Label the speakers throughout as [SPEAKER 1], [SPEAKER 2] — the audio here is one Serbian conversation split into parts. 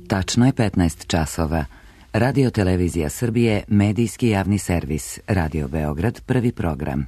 [SPEAKER 1] Tačno je 15 časova. Radio Televizija Srbije, medijski javni servis. Radio Beograd, prvi program.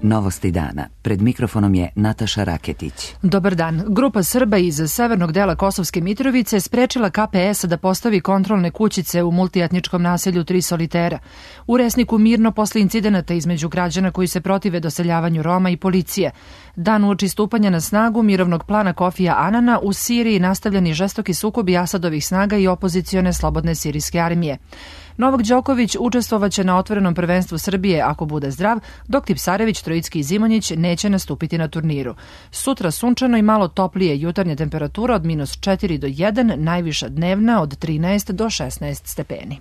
[SPEAKER 1] Novosti dana. Pred mikrofonom je Nataša Raketić.
[SPEAKER 2] Dobar dan. Grupa Srba iz severnog dela Kosovske Mitrovice sprečila KPS da postavi kontrolne kućice u multietničkom naselju Tri Solitera. U Resniku mirno posle incidenata između građana koji se protive doseljavanju Roma i policije. Dan uoči stupanja na snagu mirovnog plana Kofija Anana u Siriji nastavljeni žestoki sukobi Asadovih snaga i opozicione slobodne sirijske armije. Novak Đoković učestvovaće na otvorenom prvenstvu Srbije ako bude zdrav, dok Tipsarević, Trojicki i Zimonjić neće nastupiti na turniru. Sutra sunčano i malo toplije, jutarnja temperatura od -4 do 1, najviša dnevna od 13 do 16 stepeni.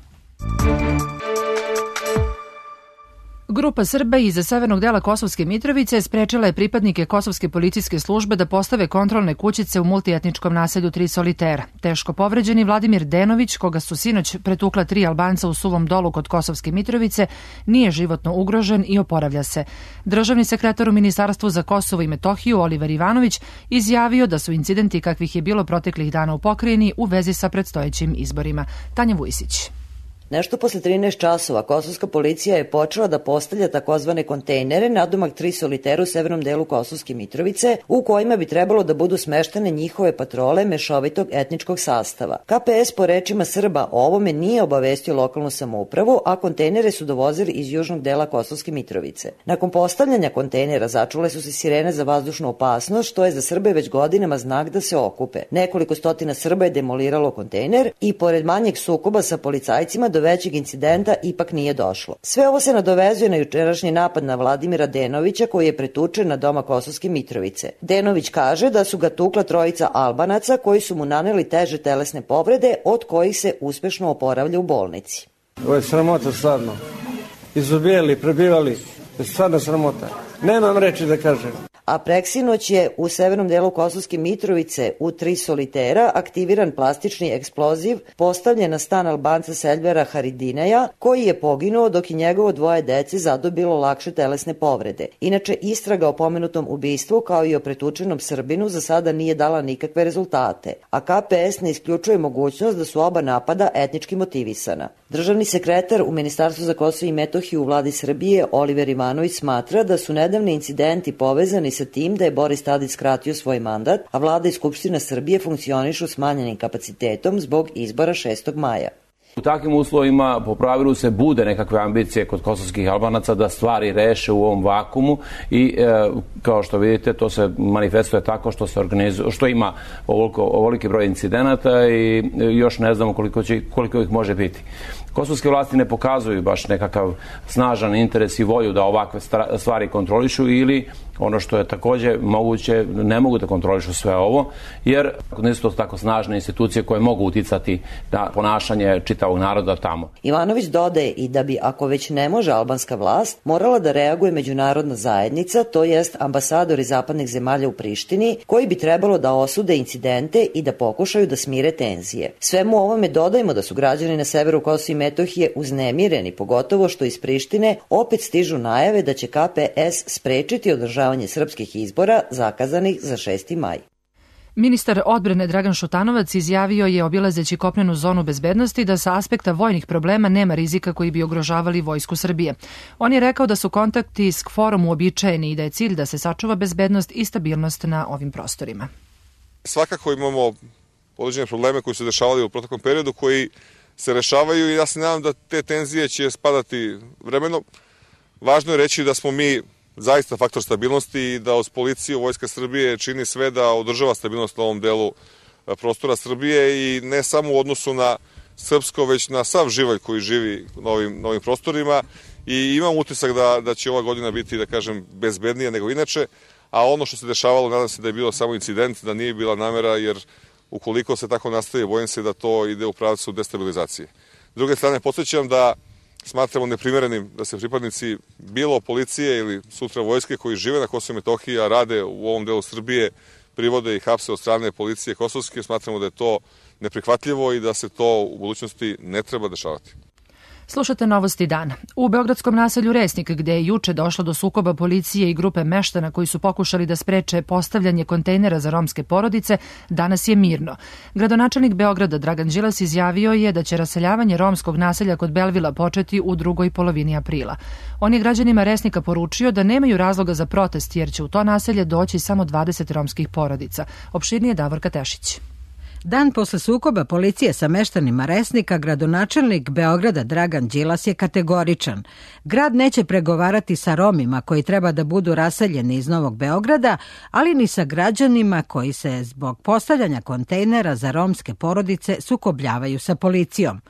[SPEAKER 2] Grupa Srba iz severnog dela Kosovske Mitrovice sprečila je pripadnike Kosovske policijske službe da postave kontrolne kućice u multietničkom naselju Tri Solitera. Teško povređeni Vladimir Denović, koga su sinoć pretukla 3 Albanca u Suvom Dolu kod Kosovske Mitrovice, nije životno ugrožen i oporavlja se. Državni sekretar u Ministarstvu za Kosovo i Metohiju Oliver Ivanović izjavio da su incidenti kakvih je bilo proteklih dana u pokrajini u vezi sa predstojećim izborima. Tanja Vujsić.
[SPEAKER 3] Nešto posle 13 časova kosovska policija je počela da postavlja takozvane kontejnere nadomak Tri Solitera u severnom delu Kosovske Mitrovice, u kojima bi trebalo da budu smeštene njihove patrole mešovitog etničkog sastava. KPS po rečima Srba o ovome nije obavestio lokalnu samoupravu, a kontejnere su dovozili iz južnog dela Kosovske Mitrovice. Nakon postavljanja kontejnera začule su se sirene za vazdušnu opasnost, što je za Srbe već godinama znak da se okupe. Nekoliko stotina Srba je demoliralo kontejner i pored manjeg sukoba sa policajcima do većeg incidenta ipak nije došlo. Sve ovo se nadovezuje na jučerašnji napad na Vladimira Denovića koji je pretučen na doma Kosovske Mitrovice. Denović kaže da su ga tukla 3 Albanaca koji su mu naneli teže telesne povrede od kojih se uspešno oporavlja u bolnici.
[SPEAKER 4] Ovo je sramota stvarno. Izubijali, prebivali. Stvarno sramota. Nemam reči da kažem.
[SPEAKER 3] A preksinoć je u severnom delu Kosovske Mitrovice u Tri Solitera aktiviran plastični eksploziv postavljen na stan Albanca Selvera Haridineja, koji je poginuo dok je njegovo 2 dece zadobilo lakše telesne povrede. Inače, istraga o pomenutom ubistvu kao i o pretučenom Srbinu za sada nije dala nikakve rezultate, a KPS ne isključuje mogućnost da su oba napada etnički motivisana. Državni sekretar u Ministarstvu za Kosovo i Metohiju u vladi Srbije Oliver Ivanović smatra da su nedavni incidenti povezani sa tim da je Boris Tadić skratio svoj mandat, a vlada i Skupština Srbije funkcionišu smanjenim kapacitetom zbog izbora 6. maja.
[SPEAKER 5] U takvim uslovima po pravilu se bude nekakve ambicije kod kosovskih Albanaca da stvari reše u ovom vakumu i kao što vidite to se manifestuje tako što se organizuje, što ima ovoliki broj incidenata i još ne znamo koliko ih može biti. Kosovske vlasti ne pokazuju baš nekakav snažan interes i volju da ovakve stvari kontrolišu ili ono što je takođe moguće, ne mogu da kontrolišu sve ovo, jer nisu to tako snažne institucije koje mogu uticati na ponašanje čitavog naroda tamo.
[SPEAKER 3] Ivanović dodaje i da bi, ako već ne može albanska vlast, morala da reaguje međunarodna zajednica, to jest ambasadori zapadnih zemalja u Prištini, koji bi trebalo da osude incidente i da pokušaju da smire tenzije. Svemu ovome dodajemo da su građani na severu Kosova i Metohije uznemireni, pogotovo što iz Prištine opet stižu najave da će KPS sprečiti održavanje srpskih izbora zakazanih za 6. maj.
[SPEAKER 2] Ministar odbrane Dragan Šutanovac izjavio je obilazeći kopnenu zonu bezbednosti da sa aspekta vojnih problema nema rizika koji bi ugrožavali vojsku Srbije. On je rekao da su kontakti s KFOR-om uobičajeni i da je cilj da se sačuva bezbednost i stabilnost na ovim prostorima.
[SPEAKER 6] Svakako imamo određene probleme koji su dešavali u proteklom periodu koji se rešavaju i ja se nadam da te tenzije će spadati vremenom. Važno je reći da smo mi zaista faktor stabilnosti i da uz policiju Vojska Srbije čini sve da održava stabilnost na ovom delu prostora Srbije i ne samo u odnosu na srpsko, već na sav živalj koji živi na ovim prostorima i imam utisak da će ova godina biti, da kažem, bezbednija nego inače, a ono što se dešavalo, nadam se da je bilo samo incident, da nije bila namera, jer ukoliko se tako nastavi, bojim se da to ide u pravcu destabilizacije. S druge strane, podsjećam da smatramo neprimerenim da se pripadnici bilo policije ili sutra vojske koji žive na Kosovu i Metohiji, a rade u ovom delu Srbije, privode i hapse od strane policije kosovske. Smatramo da je to neprihvatljivo i da se to u budućnosti ne treba dešavati.
[SPEAKER 2] Slušate novosti dana. U beogradskom naselju Resnik, gde je juče došlo do sukoba policije i grupe meštana koji su pokušali da spreče postavljanje kontejnera za romske porodice, danas je mirno. Gradonačelnik Beograda Dragan Đilas izjavio je da će raseljavanje romskog naselja kod Belvila početi u drugoj polovini aprila. On je građanima Resnika poručio da nemaju razloga za protest jer će u to naselje doći samo 20 romskih porodica. Opširnije Davorka Tešić.
[SPEAKER 7] Dan posle sukoba policije sa meštanima Resnika, gradonačelnik Beograda Dragan Đilas je kategoričan. Grad neće pregovarati sa Romima koji treba da budu raseljeni iz Novog Beograda, ali ni sa građanima koji se zbog postavljanja kontejnera za romske porodice sukobljavaju sa policijom.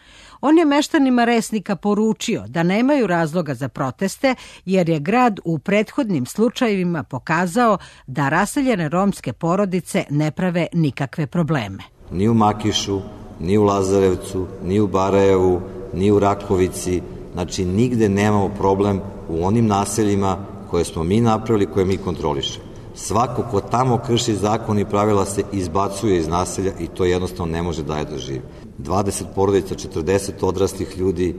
[SPEAKER 7] On je meštanima Resnika poručio da nemaju razloga za proteste jer je grad u prethodnim slučajevima pokazao da raseljene romske porodice ne prave nikakve probleme.
[SPEAKER 8] Ni u Makišu, ni u Lazarevcu, ni u Barajevu, ni u Rakovici, znači nigde nemamo problem u onim naseljima koje smo mi napravili, koje mi kontrolišemo. Svako ko tamo krši zakon i pravila se izbacuje iz naselja i to jednostavno ne može dalje da živi. 20 porodica, 40 odraslih ljudi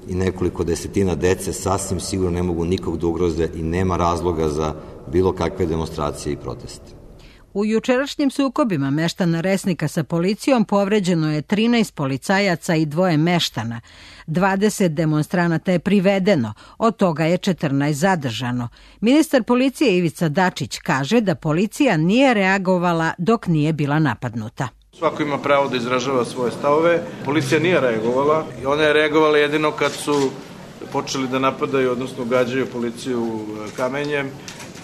[SPEAKER 8] i nekoliko desetina dece sasvim sigurno ne mogu nikog da ugroze i nema razloga za bilo kakve demonstracije i proteste.
[SPEAKER 7] U jučerašnjim sukobima meštana Resnika sa policijom povređeno je 13 policajaca i 2 meštana. 20 demonstranata je privedeno, od toga je 14 zadržano. Ministar policije Ivica Dačić kaže da policija nije reagovala dok nije bila napadnuta.
[SPEAKER 9] Svako ima pravo da izražava svoje stavove. Policija nije reagovala i ona je reagovala jedino kad su počeli da napadaju, odnosno gađaju policiju kamenjem.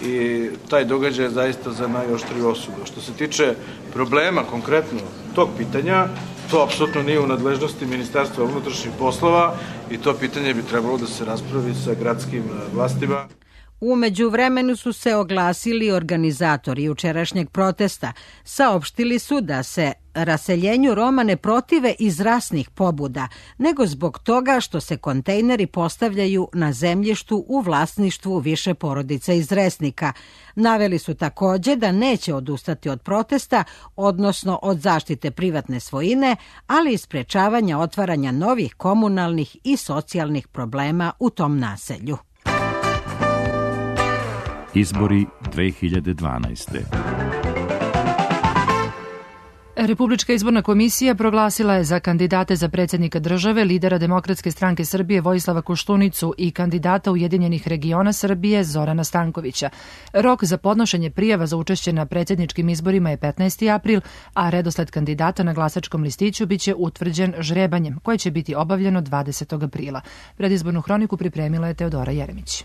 [SPEAKER 9] I taj događaj je zaista za najoštriju osudu. Što se tiče problema konkretno tog pitanja, to apsolutno nije u nadležnosti Ministarstva unutrašnjih poslova i to pitanje bi trebalo da se raspravi sa gradskim vlastima.
[SPEAKER 7] U međuvremenu su se oglasili organizatori jučerašnjeg protesta. Saopštili su da se raseljenju Roma ne protive iz rasnih pobuda, nego zbog toga što se kontejneri postavljaju na zemljištu u vlasništvu više porodica iz Resnika. Naveli su takođe da neće odustati od protesta, odnosno od zaštite privatne svojine, ali i sprečavanja otvaranja novih komunalnih i socijalnih problema u tom naselju.
[SPEAKER 10] Izbori 2012.
[SPEAKER 2] Republička izborna komisija proglasila je za kandidate za predsjednika države lidera Demokratske stranke Srbije Vojislava Koštunicu i kandidata Ujedinjenih regiona Srbije Zorana Stankovića. Rok za podnošenje prijava za učešće na predsjedničkim izborima je 15. april, a redosled kandidata na glasačkom listiću biće utvrđen žrebanjem, koje će biti obavljeno 20. aprila. Predizbornu hroniku pripremila je Teodora Jeremić.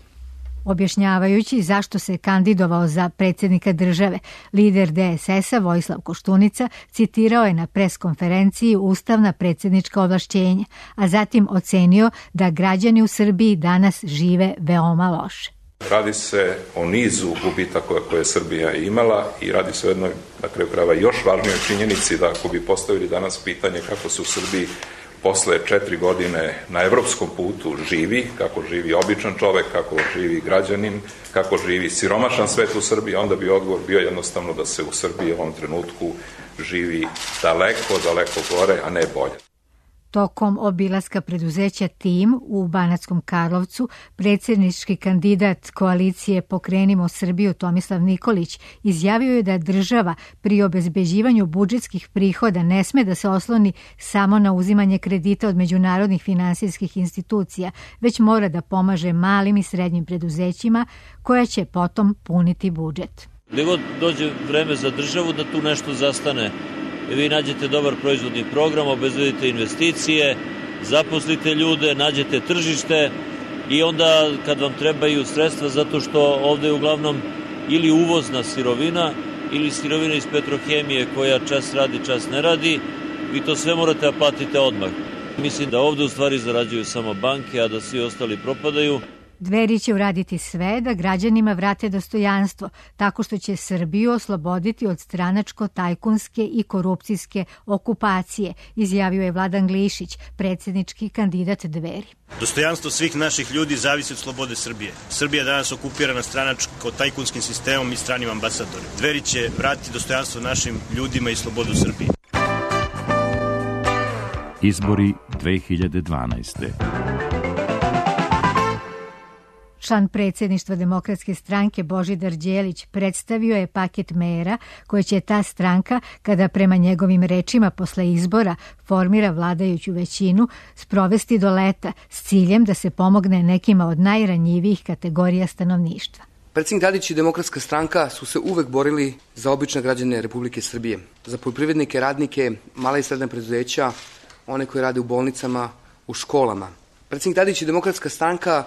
[SPEAKER 11] Objašnjavajući zašto se kandidovao za predsjednika države, lider DSS-a Vojislav Koštunica citirao je na preskonferenciji ustavna predsjednička ovlašćenja, a zatim ocenio da građani u Srbiji danas žive veoma loše.
[SPEAKER 12] Radi se o nizu gubitaka koje je Srbija imala i radi se o jednoj, na kraju krajeva, još važnijoj činjenici da ako bi postavili danas pitanje kako se u Srbiji posle 4 godine na evropskom putu živi, kako živi običan čovek, kako živi građanin, kako živi siromašan svet u Srbiji, onda bi odgovor bio jednostavno da se u Srbiji u ovom trenutku živi daleko, daleko gore, a ne bolje.
[SPEAKER 11] Tokom obilaska preduzeća Tim u Banatskom Karlovcu, predsjednički kandidat koalicije Pokrenimo Srbiju Tomislav Nikolić izjavio je da država pri obezbeđivanju budžetskih prihoda ne sme da se osloni samo na uzimanje kredita od međunarodnih finansijskih institucija, već mora da pomaže malim i srednjim preduzećima koja će potom puniti budžet.
[SPEAKER 13] Gde god dođe vreme za državu da tu nešto zastane, vi nađete dobar proizvodni program, obezbedite investicije, zaposlite ljude, nađete tržište i onda kad vam trebaju sredstva, zato što ovde je uglavnom ili uvozna sirovina ili sirovina iz petrohemije koja čas radi, čas ne radi, vi to sve morate da platite odmah. Mislim da ovde u stvari zarađuju samo banke, a da svi ostali propadaju.
[SPEAKER 11] Dveri će uraditi sve da građanima vrate dostojanstvo, tako što će Srbiju osloboditi od stranačko-tajkunske i korupcijske okupacije, izjavio je Vladan Glišić, predsjednički kandidat Dveri.
[SPEAKER 14] Dostojanstvo svih naših ljudi zavisi od slobode Srbije. Srbija je danas okupirana stranačko-tajkunskim sistemom i stranim ambasadorima. Dveri će vratiti dostojanstvo našim ljudima i slobodu Srbije.
[SPEAKER 10] Izbori 2012.
[SPEAKER 11] Član predsjedništva Demokratske stranke Božidar Đelić predstavio je paket mera koje će ta stranka, kada prema njegovim rečima posle izbora formira vladajuću većinu, sprovesti do leta s ciljem da se pomogne nekima od najranjivijih kategorija stanovništva.
[SPEAKER 15] Predsjednik Tadić i Demokratska stranka su se uvek borili za obične građane Republike Srbije, za poljoprivrednike, radnike, mala i srednja preduzeća, one koji rade u bolnicama, u školama. Predsjednik Tadić i Demokratska stranka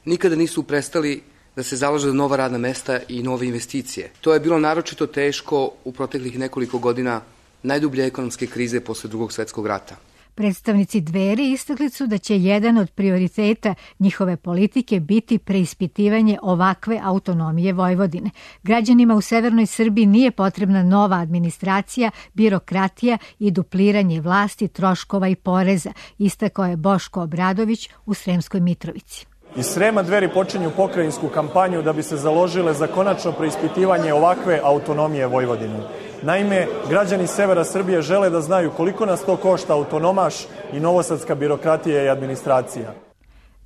[SPEAKER 15] nikada nisu prestali da se zalaže za nova radna mesta i nove investicije. To je bilo naročito teško u proteklih nekoliko godina najdublje ekonomske krize posle Drugog svjetskog rata.
[SPEAKER 11] Predstavnici Dveri istakli su da će jedan od prioriteta njihove politike biti preispitivanje ovakve autonomije Vojvodine. Građanima u severnoj Srbiji nije potrebna nova administracija, birokratija i dupliranje vlasti, troškova i poreza, istakao je Boško Obradović u Sremskoj Mitrovici.
[SPEAKER 16] Iz Srema Dveri počinju pokrajinsku kampanju da bi se založile za konačno preispitivanje ovakve autonomije Vojvodine. Naime, građani severa Srbije žele da znaju koliko nas to košta autonomaš i novosadska birokratija i administracija.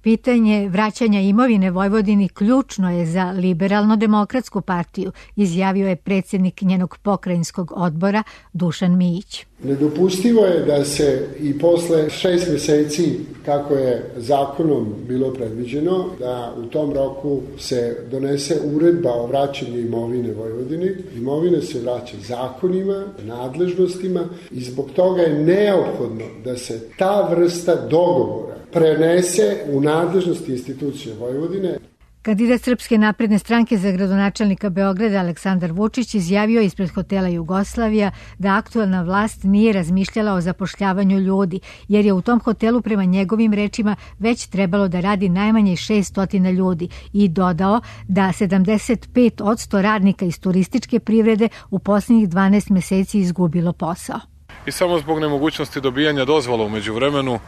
[SPEAKER 11] Pitanje vraćanja imovine Vojvodini ključno je za Liberalno-demokratsku partiju, izjavio je predsjednik njenog pokrajinskog odbora Dušan Mijić.
[SPEAKER 17] Nedopustivo je da se i posle 6 meseci, kako je zakonom bilo predviđeno, da u tom roku se donese uredba o vraćanju imovine Vojvodini. Imovine se vraća zakonima, nadležnostima i zbog toga je neophodno da se ta vrsta dogovora prenese u nadležnosti institucije Vojvodine.
[SPEAKER 11] Kandidat Srpske napredne stranke za gradonačelnika Beograda Aleksandar Vučić izjavio ispred hotela Jugoslavija da aktuelna vlast nije razmišljala o zapošljavanju ljudi, jer je u tom hotelu prema njegovim rečima već trebalo da radi najmanje 600 ljudi i dodao da 75% radnika iz turističke privrede u posljednjih 12 meseci izgubilo posao.
[SPEAKER 18] I samo zbog nemogućnosti dobijanja dozvola u međuvremenu,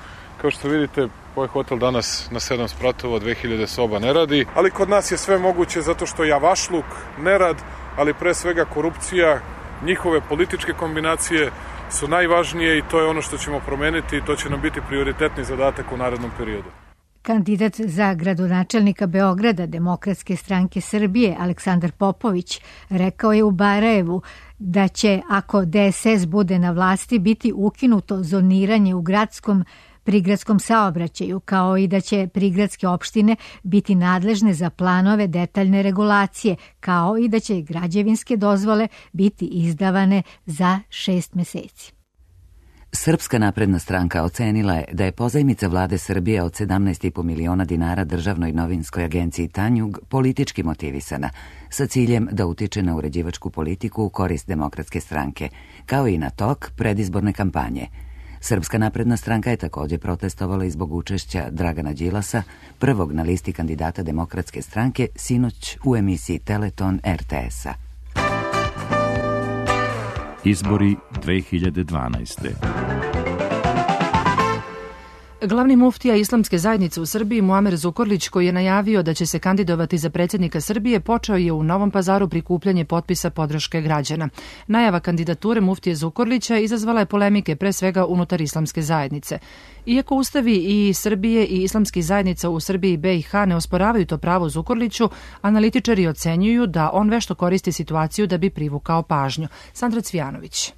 [SPEAKER 18] kao što vidite, ovaj hotel danas na 7 spratova, 2000 soba ne radi, ali kod nas je sve moguće zato što javašluk, nerad, ali pre svega korupcija, njihove političke kombinacije su najvažnije i to je ono što ćemo promeniti i to će nam biti prioritetni zadatak u narednom periodu.
[SPEAKER 11] Kandidat za gradonačelnika Beograda Demokratske stranke Srbije Aleksandar Popović rekao je u Barajevu da će, ako DSS bude na vlasti, biti ukinuto zoniranje u prigradskom saobraćaju, kao i da će prigradske opštine biti nadležne za planove detaljne regulacije, kao i da će građevinske dozvole biti izdavane za 6 meseci.
[SPEAKER 1] Srpska napredna stranka ocenila je da je pozajmica vlade Srbije od 17,5 miliona dinara državnoj novinskoj agenciji Tanjug politički motivisana, sa ciljem da utiče na uređivačku politiku u korist Demokratske stranke, kao i na tok predizborne kampanje. Srpska napredna stranka je također protestovala i zbog učešća Dragana Đilasa, prvog na listi kandidata Demokratske stranke, sinoć u emisiji Teleton RTS-a.
[SPEAKER 10] Izbori 2012.
[SPEAKER 2] Glavni muftija Islamske zajednice u Srbiji Muamer Zukorlić, koji je najavio da će se kandidovati za predsjednika Srbije, počeo je u Novom Pazaru prikupljanje potpisa podrške građana. Najava kandidature muftije Zukorlića izazvala je polemike pre svega unutar Islamske zajednice. Iako ustavi i Srbije i islamskih zajednica u Srbiji i BiH ne osporavaju to pravo Zukorliću, analitičari ocenjuju da on vešto koristi situaciju da bi privukao pažnju. Sandra Cvijanović.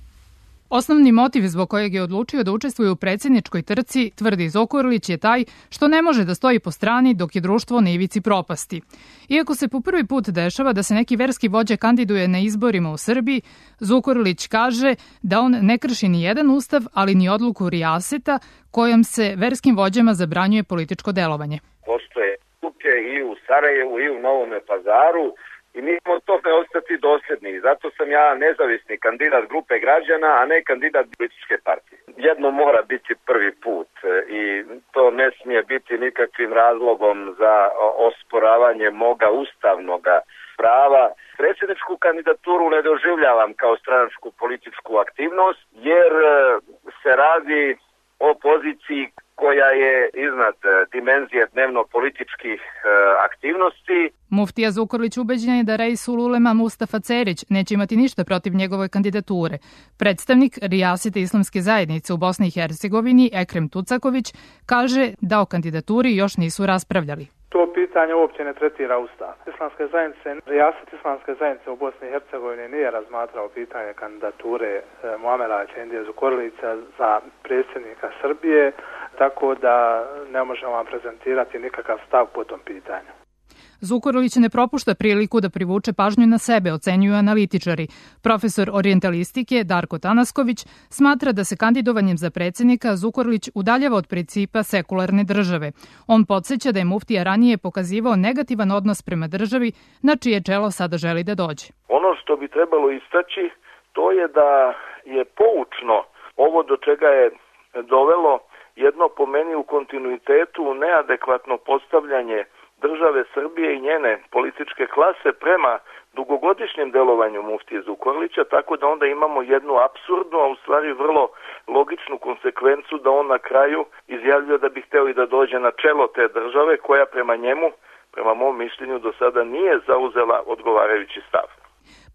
[SPEAKER 19] Osnovni motiv zbog kojeg je odlučio da učestvuje u predsjedničkoj trci, tvrdi Zukorlić, je taj što ne može da stoji po strani dok je društvo na ivici propasti. Iako se po prvi put dešava da se neki verski vođa kandiduje na izborima u Srbiji, Zukorlić kaže da on ne krši ni jedan ustav, ali ni odluku Rijaseta kojom se verskim vođama zabranjuje političko delovanje.
[SPEAKER 20] Postoje kuće i u Sarajevu i u Novome Pazaru, i mi smo tome ostati dosljedni. Zato sam ja nezavisni kandidat grupe građana, a ne kandidat političke partije. Jedno mora biti prvi put i to ne smije biti nikakvim razlogom za osporavanje moga ustavnoga prava. Predsjedničku kandidaturu ne doživljavam kao stranačku političku aktivnost, jer se radi o poziciji koja je iznad dimenzije dnevno-političkih aktivnosti.
[SPEAKER 19] Muftija Zukorlić ubeđen je da Reisul Ulema Mustafa Cerić neće imati ništa protiv njegove kandidature. Predstavnik Rijasete Islamske zajednice u Bosni i Hercegovini, Ekrem Tucaković, kaže da o kandidaturi još nisu raspravljali.
[SPEAKER 21] To pitanje uopće ne tretira Ustav. Rijasat islamske zajednice u Bosni i Hercegovini nije razmatrao pitanje kandidature Muamera Efendije Zukorlića za predsjednika Srbije, tako da ne možemo vam prezentirati nikakav stav po tom pitanju.
[SPEAKER 19] Zukorlić ne propušta priliku da privuče pažnju na sebe, ocenjuju analitičari. Profesor orijentalistike Darko Tanasković smatra da se kandidovanjem za predsjednika Zukorlić udaljava od principa sekularne države. On podsjeća da je muftija ranije pokazivao negativan odnos prema državi na čije čelo sada želi da dođe.
[SPEAKER 22] Ono što bi trebalo istaći, to je da je poučno ovo do čega je dovelo jedno po meni u kontinuitetu neadekvatno postavljanje države Srbije i njene političke klase prema dugogodišnjem delovanju muftije Zukorlića, tako da onda imamo jednu apsurdnu, a u stvari vrlo logičnu konsekvencu da on na kraju izjavljuje da bi hteo i da dođe na čelo te države koja prema njemu, prema mom mišljenju, do sada nije zauzela odgovarajući stav.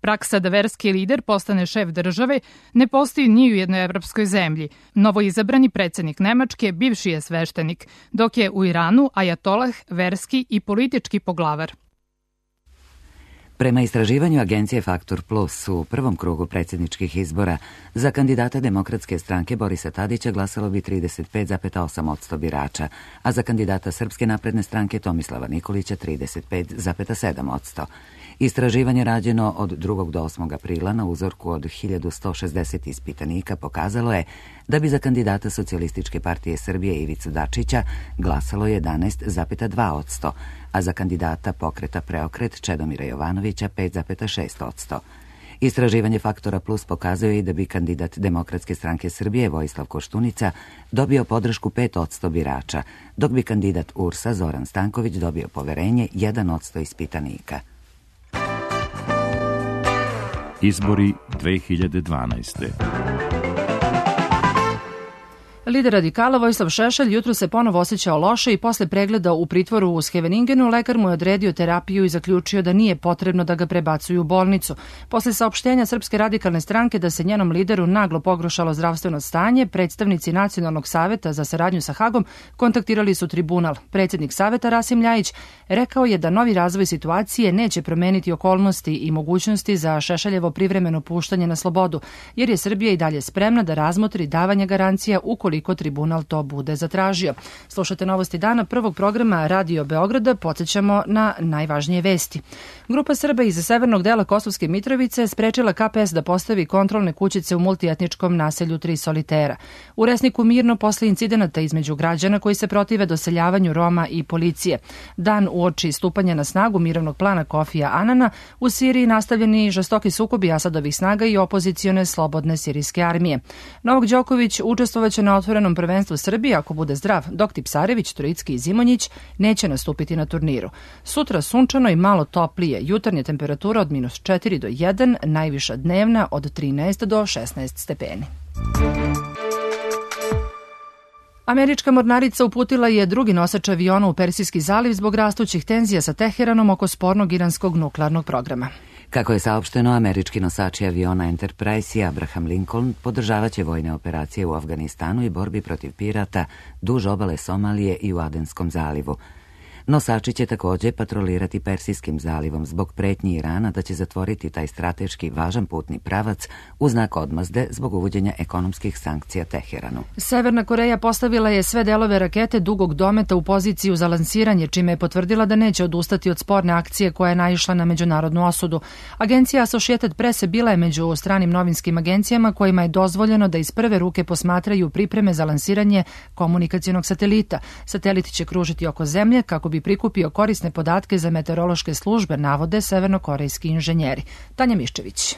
[SPEAKER 19] Praksa da verski lider postane šef države ne postoji ni u jednoj evropskoj zemlji. Novoizabrani predsjednik Nemačke bivši je sveštenik, dok je u Iranu ajatolah verski i politički poglavar.
[SPEAKER 1] Prema istraživanju agencije Faktor Plus u prvom krugu predsjedničkih izbora za kandidata Demokratske stranke Borisa Tadića glasalo bi 35,8% birača, a za kandidata Srpske napredne stranke Tomislava Nikolića 35,7%. Istraživanje rađeno od 2. do 8. aprila na uzorku od 1160 ispitanika pokazalo je da bi za kandidata Socijalističke partije Srbije Ivicu Dačića glasalo 11,2%, a za kandidata Pokreta Preokret Čedomira Jovanovića 5,6%. Istraživanje Faktora Plus pokazuje i da bi kandidat Demokratske stranke Srbije Vojislav Koštunica dobio podršku 5% birača, dok bi kandidat URS-a Zoran Stanković dobio poverenje 1% ispitanika.
[SPEAKER 10] Izbori 2012.
[SPEAKER 2] Lider radikala Vojislav Šešelj jutro se ponovo osjećao loše i posle pregleda u pritvoru u Scheveningenu lekar mu je odredio terapiju i zaključio da nije potrebno da ga prebacuju u bolnicu. Posle saopštenja Srpske radikalne stranke da se njenom lideru naglo pogoršalo zdravstveno stanje, predstavnici Nacionalnog saveta za saradnju sa Hagom kontaktirali su tribunal. Predsjednik saveta Rasim Ljajić rekao je da novi razvoj situacije neće promeniti okolnosti i mogućnosti za Šešeljevo privremeno puštanje na slobodu, jer je Srbija i dalje spremna da razmotri davanje garancija ukoliko tribunal to bude zatražio. Slušate novosti dana prvog programa Radio Beograda, podsjećamo na najvažnije vesti. Grupa Srba iz severnog dela Kosovske Mitrovice sprečila KPS da postavi kontrolne kućice u multietničkom naselju Tri Solitera. U Resniku mirno posle incidenata između građana koji se protive doseljavanju Roma i policije. Dan uoči stupanja na snagu mirovnog plana Kofija Anana, u Siriji nastavljeni žestoki sukobi Asadovih snaga i opozicione slobodne sirijske armije. Novak Đoković učestvovaće na otvorenom prvenstvu Srbije ako bude zdrav, dok Tipsarević, Trojicki i Zimonjić neće nastupiti na turniru. Sutra sunčano i malo toplije, jutarnja temperatura od -4 do 1, najviša dnevna od 13 do 16 stepeni. Američka mornarica uputila je drugi nosač aviona u Persijski zaliv zbog rastućih tenzija sa Teheranom oko spornog iranskog nuklearnog programa.
[SPEAKER 1] Kako je saopšteno, američki nosači aviona Enterprise i Abraham Lincoln podržavaće vojne operacije u Afganistanu i borbi protiv pirata duž obale Somalije i u Adenskom zalivu. Nosači će također patrolirati Persijskim zalivom zbog pretnji Irana da će zatvoriti taj strateški važan putni pravac u znak odmazde zbog uvođenja ekonomskih sankcija Teheranu.
[SPEAKER 2] Severna Koreja postavila je sve delove rakete dugog dometa u poziciju za lansiranje, čime je potvrdila da neće odustati od sporne akcije koja je naišla na međunarodnu osudu. Agencija Associated Press bila je među stranim novinskim agencijama kojima je dozvoljeno da iz prve ruke posmatraju pripreme za lansiranje komunikacionog satelita. Satelit će kružiti oko zemlje kako bi prikupio korisne podatke za meteorološke službe, navode severnokorejski inženjeri. Tanja Miščević.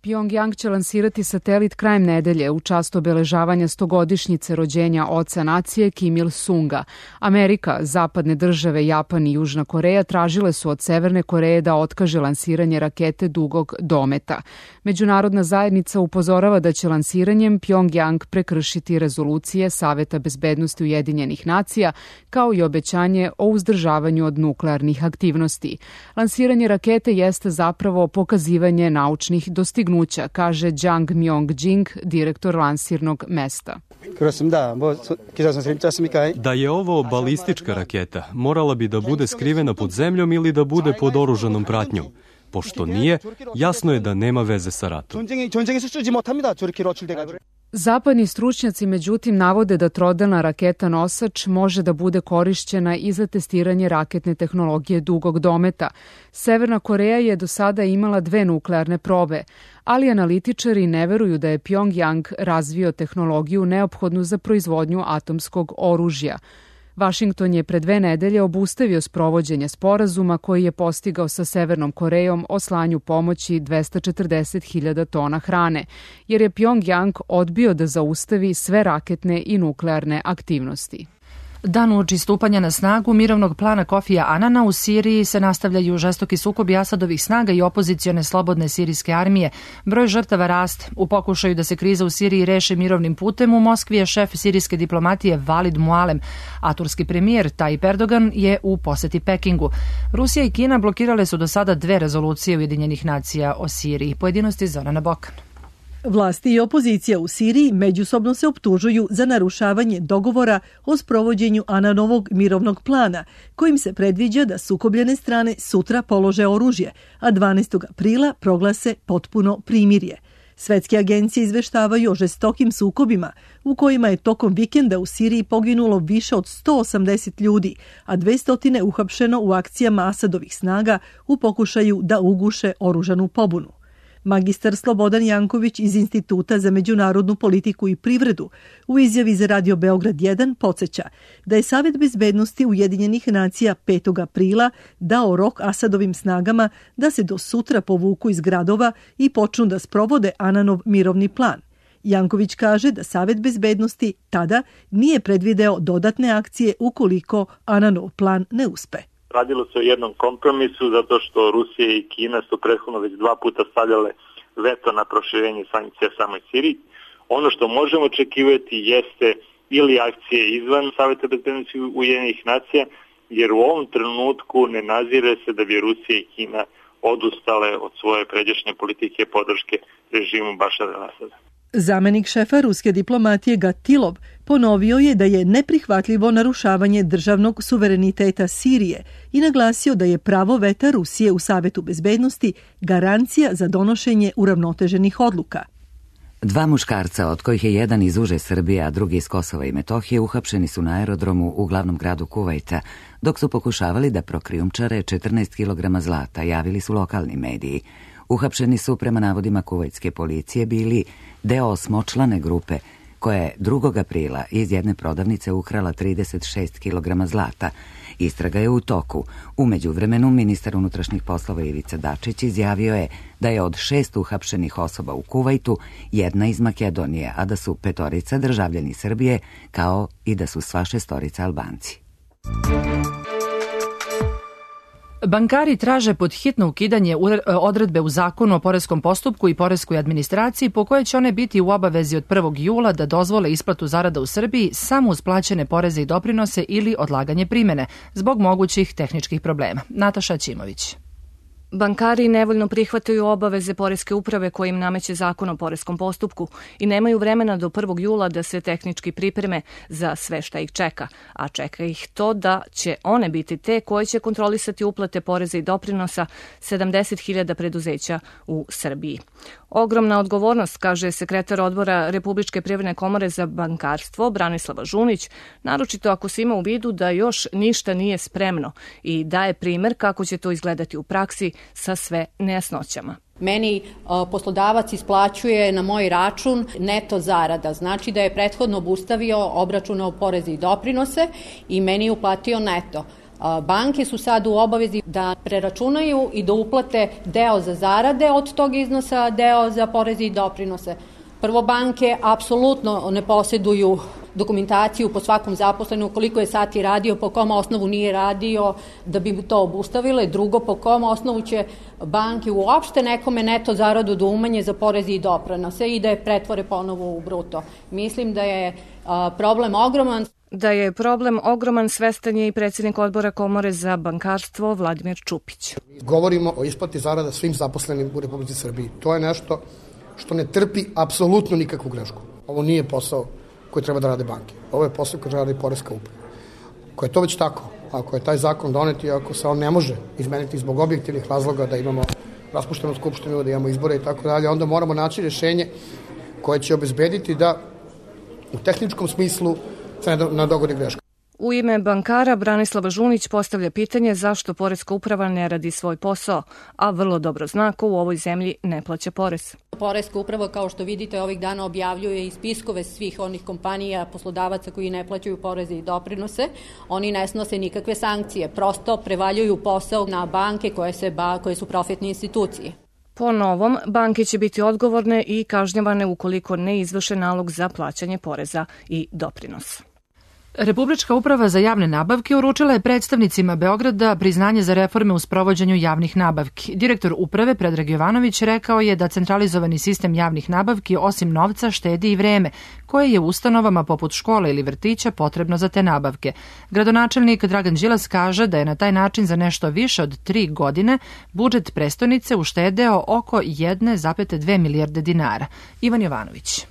[SPEAKER 23] Pjongjang će lansirati satelit krajem nedelje u čast obeležavanja 100-godišnjice rođenja oca nacije Kim Il-sunga. Amerika, zapadne države, Japan i Južna Koreja tražile su od Severne Koreje da otkaže lansiranje rakete dugog dometa. Međunarodna zajednica upozorava da će lansiranjem Pjongjang prekršiti rezolucije Saveta bezbednosti Ujedinjenih nacija, kao i obećanje o uzdržavanju od nuklearnih aktivnosti. Lansiranje rakete jeste zapravo pokazivanje naučnih dostignuća dostignuća, kaže Jang Myong-jing, direktor lansirnog mesta.
[SPEAKER 3] Da je ovo balistička raketa, morala bi da bude skrivena pod zemljom ili da bude pod oružanom pratnjom. Pošto nije, jasno je da nema veze sa ratom.
[SPEAKER 23] Zapadni stručnjaci međutim navode da trodelna raketa nosač može da bude korišćena i za testiranje raketne tehnologije dugog dometa. Severna Koreja je do sada imala 2 nuklearne probe, ali analitičari ne veruju da je Pjongjang razvio tehnologiju neophodnu za proizvodnju atomskog oružja. Vašington je pre 2 nedelje obustavio sprovođenje sporazuma koji je postigao sa Severnom Korejom o slanju pomoći 240.000 tona hrane, jer je Pjongjang odbio da zaustavi sve raketne i nuklearne aktivnosti.
[SPEAKER 2] Dan uoči stupanja na snagu mirovnog plana Kofija Anana u Siriji se nastavljaju žestoki sukobi Asadovih snaga i opozicione slobodne sirijske armije. Broj žrtava raste. U pokušaju da se kriza u Siriji reši mirovnim putem, u Moskvi je šef sirijske diplomatije Valid Mualem, a turski premijer Tayyip Erdogan je u poseti Pekingu. Rusija i Kina blokirale su do sada 2 rezolucije Ujedinjenih nacija o Siriji. Pojedinosti Zorana Bokan.
[SPEAKER 4] Vlasti i opozicija u Siriji međusobno se optužuju za narušavanje dogovora o sprovođenju Ananovog mirovnog plana, kojim se predviđa da sukobljene strane sutra polože oružje, a 12. aprila proglase potpuno primirje. Svetske agencije izveštavaju o žestokim sukobima u kojima je tokom vikenda u Siriji poginulo više od 180 ljudi, a 200 uhapšeno u akcijama Asadovih snaga u pokušaju da uguše oružanu pobunu. Magistar Slobodan Janković iz Instituta za međunarodnu politiku i privredu u izjavi za Radio Beograd 1 podsjeća da je Savet bezbednosti Ujedinjenih nacija 5. aprila dao rok Asadovim snagama da se do sutra povuku iz gradova i počnu da sprovode Ananov mirovni plan. Janković kaže da Savet bezbednosti tada nije predvideo dodatne akcije ukoliko Ananov plan ne uspe.
[SPEAKER 5] Radilo se o jednom kompromisu zato što Rusija i Kina su prethodno već 2 puta stavljale veto na proširenje sankcija samoj Siriji. Ono što možemo očekivati jeste ili akcije izvan Saveta bezbednosti Ujedinjenih nacija, jer u ovom trenutku ne nazire se da bi Rusija i Kina odustale od svoje pređašnje politike podrške režimu Bašara al-Asada.
[SPEAKER 4] Zamenik šefa ruske diplomatije Gatilov ponovio je da je neprihvatljivo narušavanje državnog suvereniteta Sirije i naglasio da je pravo veta Rusije u Savetu bezbednosti garancija za donošenje uravnoteženih odluka.
[SPEAKER 1] 2 muškarca, od kojih je jedan iz uže Srbije, a drugi iz Kosova i Metohije, uhapšeni su na aerodromu u glavnom gradu Kuvajta, dok su pokušavali da prokrijumčare 14 kg zlata, javili su lokalni mediji. Uhapšeni su, prema navodima kuvajtske policije, bili deo 8-člane grupe koja je 2. aprila iz jedne prodavnice ukrala 36 kg zlata. Istraga je u toku. U međuvremenu ministar unutrašnjih poslova Ivica Dačić izjavio je da je od 6 uhapšenih osoba u Kuvajtu 1 iz Makedonije, a da su 5 državljani Srbije, kao i da su sva 6 Albanci.
[SPEAKER 2] Bankari traže pod hitno ukidanje odredbe u Zakonu o poreskom postupku i poreskoj administraciji po kojoj će one biti u obavezi od 1. jula da dozvole isplatu zarada u Srbiji samo uz plaćene poreze i doprinose ili odlaganje primene zbog mogućih tehničkih problema. Nataša Ćimović.
[SPEAKER 24] Bankari nevoljno prihvataju obaveze poreske uprave koje im nameće Zakon o poreskom postupku i nemaju vremena do 1. jula da se tehnički pripreme za sve šta ih čeka, a čeka ih to da će one biti te koje će kontrolisati uplate poreza i doprinosa 70.000 preduzeća u Srbiji. Ogromna odgovornost, kaže sekretar odbora Republičke privredne komore za bankarstvo Branislava Žunić, naročito ako se ima u vidu da još ništa nije spremno i daje primer kako će to izgledati u praksi sa sve nejasnoćama.
[SPEAKER 25] Meni poslodavac isplaćuje na moj račun neto zarada, znači da je prethodno obustavio obračunao poreze i doprinose i meni je uplatio neto. Banke su sad u obavezi da preračunaju i da uplate deo za zarade od tog iznosa, deo za poreze i doprinose. Prvo, banke apsolutno ne posjeduju dokumentaciju po svakom zaposlenu, koliko je sati radio, po kom osnovu nije radio, da bi to obustavile. Drugo, po kom osnovu će banke uopšte nekome neto zaradu da umanje za porezi i doprinose i da je pretvore ponovo u bruto. Mislim da je problem ogroman.
[SPEAKER 24] Da je problem ogroman, svestan je i predsjednik odbora Komore za bankarstvo Vladimir Čupić.
[SPEAKER 6] Govorimo o isplati zarada svim zaposlenim u Republici Srbiji. To je nešto što ne trpi apsolutno nikakvu grešku. Ovo nije posao koji treba da rade banke. Ovo je posao koji treba da radi poreska uprava. Ako je to već tako, ako je taj zakon donet i ako se on ne može izmeniti zbog objektivnih razloga da imamo raspuštenu skupštinu, da imamo izbore i tako dalje, onda moramo naći rješenje koje će obezbediti da u tehničkom smislu se ne dogodi greška.
[SPEAKER 24] U ime bankara Branislava Žunić postavlja pitanje zašto poreska uprava ne radi svoj posao, a vrlo dobro zna ko u ovoj zemlji ne plaća porez.
[SPEAKER 25] Poreska uprava, kao što vidite, ovih dana objavljuje i spiskove svih onih kompanija, poslodavaca koji ne plaćaju poreze i doprinose. Oni ne snose nikakve sankcije, prosto prevaljuju posao na banke koje su profitne institucije.
[SPEAKER 24] Po novom, banke će biti odgovorne i kažnjavane ukoliko ne izvrše nalog za plaćanje poreza i doprinosa.
[SPEAKER 2] Republička uprava za javne nabavke uručila je predstavnicima Beograda priznanje za reforme u sprovođenju javnih nabavki. Direktor uprave Predrag Jovanović rekao je da centralizovani sistem javnih nabavki osim novca štedi i vreme, koje je u ustanovama poput škole ili vrtića potrebno za te nabavke. Gradonačelnik Dragan Đilas kaže da je na taj način za nešto više od 3 godine budžet prestonice uštedeo oko 1,2 milijarde dinara. Ivan Jovanović.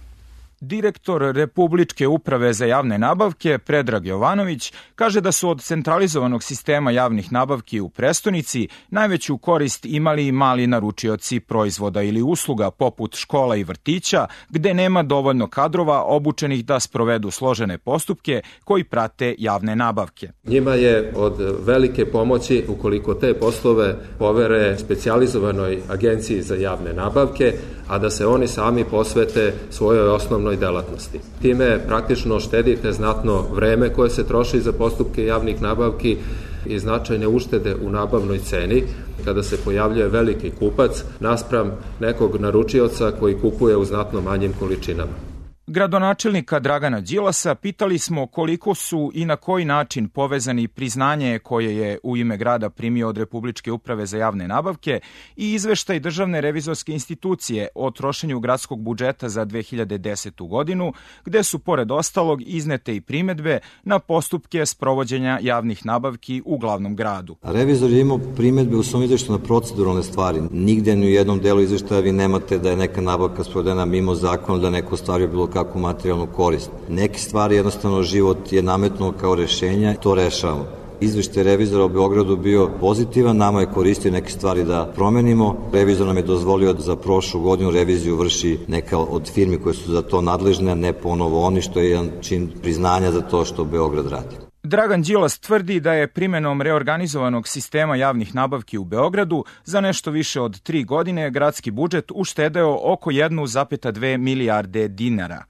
[SPEAKER 7] Direktor Republičke uprave za javne nabavke Predrag Jovanović kaže da su od centralizovanog sistema javnih nabavki u prestonici najveću korist imali i mali naručioci proizvoda ili usluga poput škola i vrtića, gde nema dovoljno kadrova obučenih da sprovedu složene postupke koji prate javne nabavke.
[SPEAKER 8] Njima je od velike pomoći ukoliko te poslove povere specijalizovanoj agenciji za javne nabavke, a da se oni sami posvete svojoj osnovnoj delatnosti. Time praktično štedite znatno vreme koje se troši za postupke javnih nabavki i značajne uštede u nabavnoj ceni kada se pojavljuje veliki kupac naspram nekog naručioca koji kupuje u znatno manjim količinama.
[SPEAKER 7] Gradonačelnika Dragana Đilasa pitali smo koliko su i na koji način povezani priznanje koje je u ime grada primio od Republičke uprave za javne nabavke i izveštaj Državne revizorske institucije o trošenju gradskog budžeta za 2010. godinu, gde su pored ostalog iznete i primedbe na postupke sprovođenja javnih nabavki u glavnom gradu.
[SPEAKER 9] Revizor je imao primedbe u svom izveštaju na proceduralne stvari. Nigde ni u jednom delu izveštaja vi nemate da je neka nabavka sprovedena mimo zakona, da neko ostvario bilo kakvu materijalnu korist. Neke stvari jednostavno život je nametnuo kao rešenja, to rešavamo. Izveštaj revizora u Beogradu bio pozitivan, nama je koristio neke stvari da promenimo. Revizor nam je dozvolio da za prošlu godinu reviziju vrši neka od firmi koje su za to nadležne, a ne ponovo oni, što je jedan čin priznanja za to što Beograd radi.
[SPEAKER 7] Dragan Đilas tvrdi da je primenom reorganizovanog sistema javnih nabavki u Beogradu za nešto više od 3 godine gradski budžet uštedeo oko 1,2 milijarde dinara.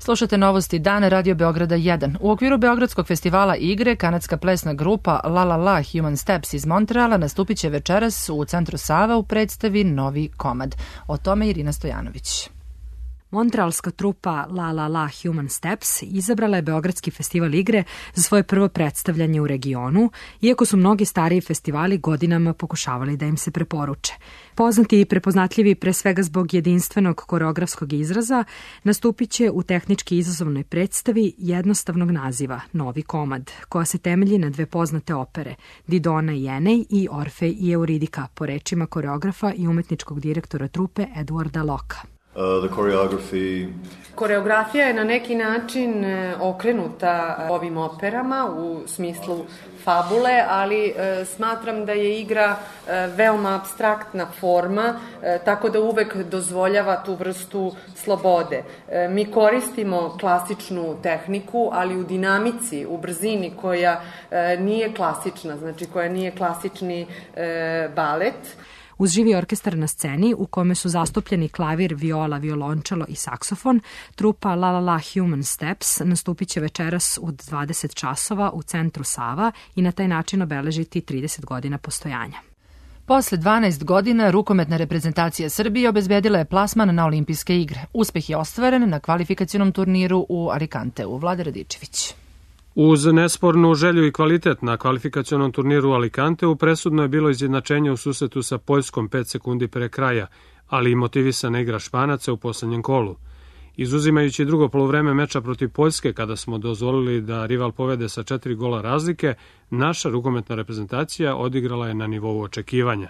[SPEAKER 2] Slušate novosti dana Radio Beograda 1. U okviru Beogradskog festivala igre, kanadska plesna grupa La La La Human Steps iz Montreala nastupit će večeras u centru Sava u predstavi Novi komad. O tome Irina Stojanović.
[SPEAKER 12] Montrealska trupa La La La Human Steps izabrala je Beogradski festival igre za svoje prvo predstavljanje u regionu, iako su mnogi stariji festivali godinama pokušavali da im se preporuče. Poznati i prepoznatljivi pre svega zbog jedinstvenog koreografskog izraza, nastupit će u tehnički izazovnoj predstavi jednostavnog naziva Novi komad, koja se temelji na 2 poznate opere, Didona i Enej i Orfej i Euridika, po rečima koreografa i umetničkog direktora trupe Edwarda Locka.
[SPEAKER 26] Koreografija je na neki način okrenuta ovim operama u smislu fabule, ali smatram da je igra veoma apstraktna forma, tako da uvek dozvoljava tu vrstu slobode. Mi koristimo klasičnu tehniku, ali u dinamici, u brzini koja nije klasična, znači koja nije klasični balet.
[SPEAKER 12] Uz živi orkestar na sceni, u kome su zastupljeni klavir, viola, violončelo i saksofon, trupa La La La Human Steps nastupit će večeras u 20 časova u centru Sava i na taj način obeležiti 30 godina postojanja.
[SPEAKER 2] Posle 12 godina rukometna reprezentacija Srbije obezbedila je plasman na olimpijske igre. Uspeh je ostvaren na kvalifikacionom turniru u Alicanteu. Vlada Radičević.
[SPEAKER 27] Uz nespornu želju i kvalitet na kvalifikacionom turniru u Alicanteu presudno je bilo izjednačenje u susretu sa Poljskom 5 sekundi pre kraja, ali i motivisana igra Španaca u poslednjem kolu. Izuzimajući drugo poluvreme meča protiv Poljske, kada smo dozvolili da rival povede sa 4 gola razlike, naša rukometna reprezentacija odigrala je na nivou očekivanja.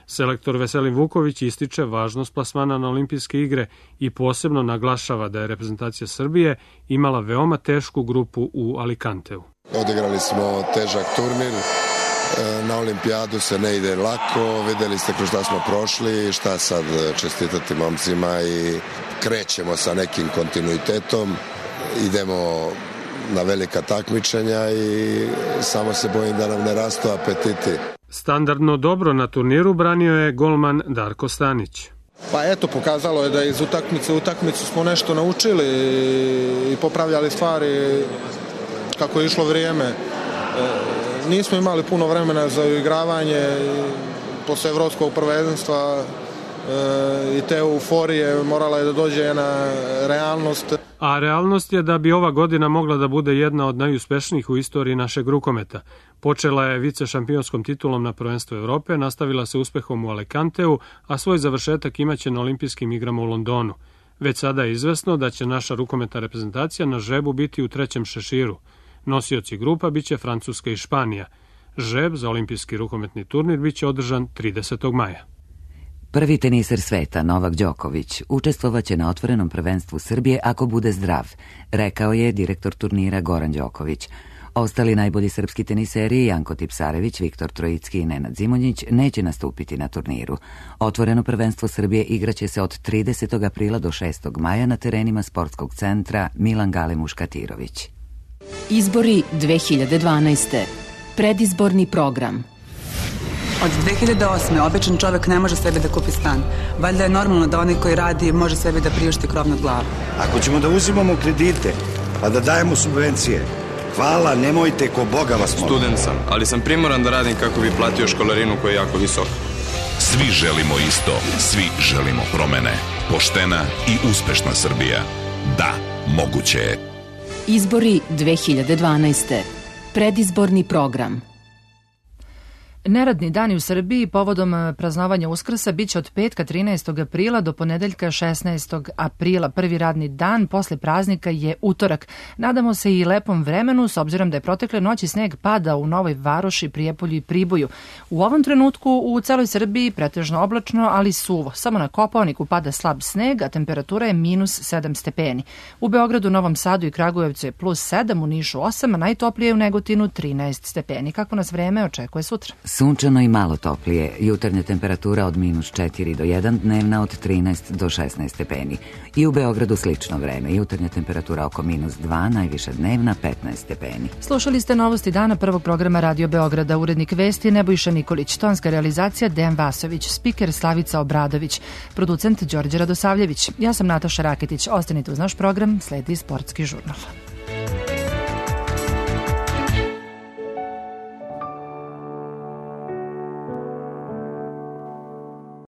[SPEAKER 27] Selektor Veselin Vuković ističe važnost plasmana na olimpijske igre i posebno naglašava da je reprezentacija Srbije imala veoma tešku grupu u Alicanteu.
[SPEAKER 11] Odigrali smo težak turnir, na olimpijadu se ne ide lako, videli ste kroz šta smo prošli, šta sad čestitati momcima i krećemo sa nekim kontinuitetom, idemo na velika takmičenja i samo se bojim da nam ne rastu apetiti.
[SPEAKER 27] Standardno dobro na turniru branio je golman Darko Stanić.
[SPEAKER 13] Pa eto, pokazalo je da iz utakmice u utakmicu smo nešto naučili i popravljali stvari kako je išlo vrijeme. Nismo imali puno vremena za uigravanje posle evropskog prvenstva i te euforije, morala je da dođe jedna realnost.
[SPEAKER 27] A realnost je da bi ova godina mogla da bude jedna od najuspešnijih u istoriji našeg rukometa. Počela je vicešampionskom titulom na prvenstvu Evrope, nastavila se uspehom u Alicanteu, a svoj završetak imaće na olimpijskim igrama u Londonu. Već sada je izvesno da će naša rukometna reprezentacija na žrebu biti u trećem šeširu. Nosioci grupa biće Francuska i Španija. Žreb za olimpijski rukometni turnir biće održan 30. maja.
[SPEAKER 1] Prvi teniser sveta, Novak Đoković, učestvovaće na otvorenom prvenstvu Srbije ako bude zdrav, rekao je direktor turnira Goran Đoković. Ostali najbolji srpski teniseri, Janko Tipsarević, Viktor Trojicki i Nenad Zimonjić, neće nastupiti na turniru. Otvoreno prvenstvo Srbije igraće se od 30. aprila do 6. maja na terenima sportskog centra Milan Gale Muškatirović.
[SPEAKER 14] Izbori 2012. Predizborni program.
[SPEAKER 15] Od 2008. običan čovek ne može sebi da kupi stan. Valjda je normalno da onaj koji radi može sebi da priušti krov nad glavom.
[SPEAKER 16] Ako ćemo da uzimamo kredite, pa da dajemo subvencije, hvala, nemojte, ko Boga vas molim.
[SPEAKER 17] Student sam, ali sam primoran da radim kako bi platio školarinu koja je jako visoka.
[SPEAKER 18] Svi želimo isto, svi želimo promene. Poštena i uspešna Srbija. Da, moguće je.
[SPEAKER 14] Izbori 2012. Predizborni program.
[SPEAKER 2] Neradni dani u Srbiji povodom praznovanja Uskrsa biće od petka 13. aprila do ponedeljka 16. aprila. Prvi radni dan posle praznika je utorak. Nadamo se i lepom vremenu s obzirom da je protekle noći sneg pada u Novoj Varoši, Prijepolju i Priboju. U ovom trenutku u celoj Srbiji pretežno oblačno, ali suvo. Samo na Kopaoniku pada slab sneg, a temperatura je -7 stepeni. U Beogradu, Novom Sadu i Kragujevcu je +7, u Nišu 8, a najtoplije je u Negotinu 13 stepeni. Kako nas vreme očekuje sutra?
[SPEAKER 1] Sunčano i malo toplije, jutarnja temperatura od -4 do 1, dnevna od 13 do 16 stepeni. I u Beogradu slično vreme, jutarnja temperatura oko -2, najviša dnevna 15 stepeni.
[SPEAKER 2] Slušali ste novosti dana prvog programa Radio Beograda, urednik vesti Nebojša Nikolić, tonska realizacija Dejan Vasović, spiker Slavica Obradović, producent Đorđe Radosavljević. Ja sam Nataša Raketić, ostanite uz naš program, sledi Sportski žurnal.